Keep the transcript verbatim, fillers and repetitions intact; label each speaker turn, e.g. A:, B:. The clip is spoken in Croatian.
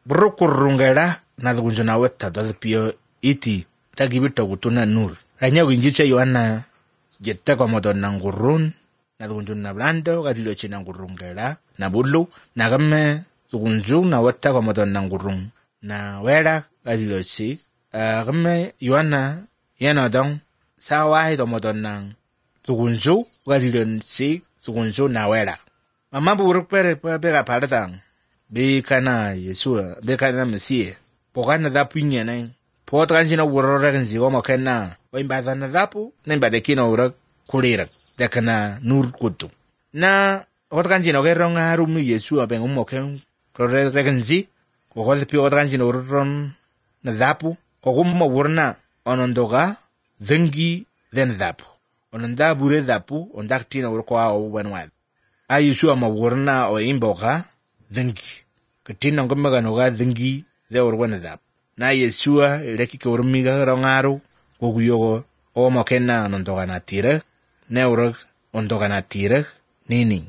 A: Brukurungera na dhugunjuna weta dozi pio iti tagibito kutuna nur. Ranya winjiche Yohana jette kwa modon na ngurun na dhugunjuna blando gadilo china ngurungera na bulu na game dhugunju na weta kwa modon na ngurung na wera gadilo chi game Yohana yana dong sawahi do modon na dhugunju gadilo chi dhugunju na wera. Mama buruk pere pega paradang be kana Yesua be kana Mesie pokana da punya nai potran sina wurora kan si goma kana o imbada na dapu na imbada kino ura kulira da kana nur kutu na otran sina gerong harum Yesua ben umo ken rore kan si ko ko pi otran sina uron na dapu ko gummo wurna onondoga zengi den dapu ononda bure dapu ondak tina ur ko awu wenwa a Yesua ma wurna o imboga dhengi katina ngomega noga dhengi de orwana dap na Yesua leki ke urmiga rongaru goguyogo o mokena nondoga na tire ne urag ondoga na tire nini